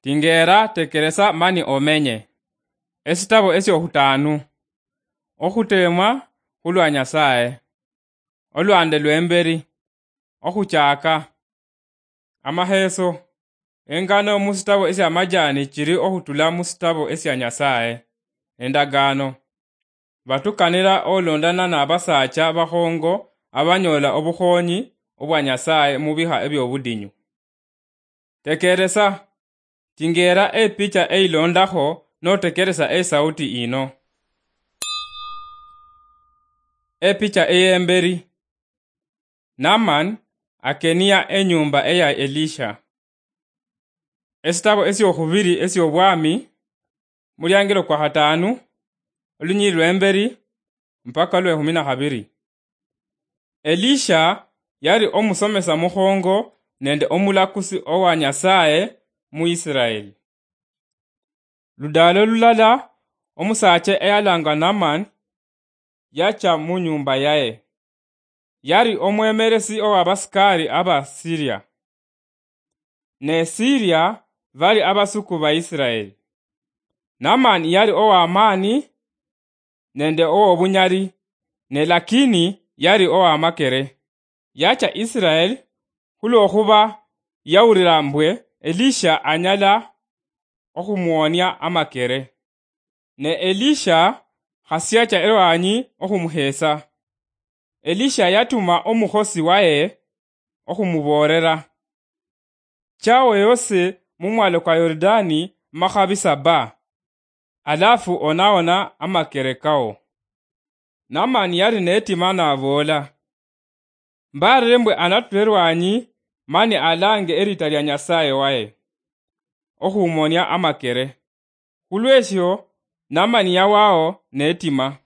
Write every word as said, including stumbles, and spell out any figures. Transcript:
Tingeera, tekeresa mani omenye. Esitabo esy'ohutaanu. Ohuteemwa hulwa Nyasaye. Olwaande lw'emberi. Ohuchaaka. Amaheeso. Engano mu sitabo esy'amajaani chiri ohutula mu sitabo esya Nyasaye. Endagaano. Batukanira oloondana n'abasaacha bahoongo abanyoola obuhoonyi obwa Nyasaye mu biha eby'obudinyu. Tekeresa, tingeera epicha eiloondaho notekeresa esauti ino. Epicha ey'emberi. Naaman akeniya enyuumba eya Elisha. Esitabo esy'ohubiri esy'obwaami, mulyaangilo kwa hataanu, olunyiriri lw'emberi mpaka olw'ehumi na habiri. Elisha yali omusomesa muhoongo nende omulakusi owa Nyasaye mu Yisiraeli. Ludaalo lulala, omusaacha eyalaangwa Naaman yacha mu nyuumba yae. Yali omwemeresi ow'abasikaari aba Siria. Ne Siria bali abasuku ba Yisiraeli. Naaman yali ow'amaani nende ow'obunyali, ne lakini yali ow'amakere. Yacha Yisiraeli hulw'ohuba yawulira mbwe Elisha anyala ohumuwonia amakere. Ne Elisha hasiacha erwanyi ohumuheesa. Elisha yatuma omuhosi wae ohumuboolera, "Cha weyose mu mwalo kwa Yorudaani mahabi saba, alafu onaona amakere kao." Naamani yali neetima n'aboola, "Mbaarire mbwe anatule erwanyi mani alaange eriita lya Nyasaye wae, ohumonia amakere." Hulw'esyo Naamani yawao neetima.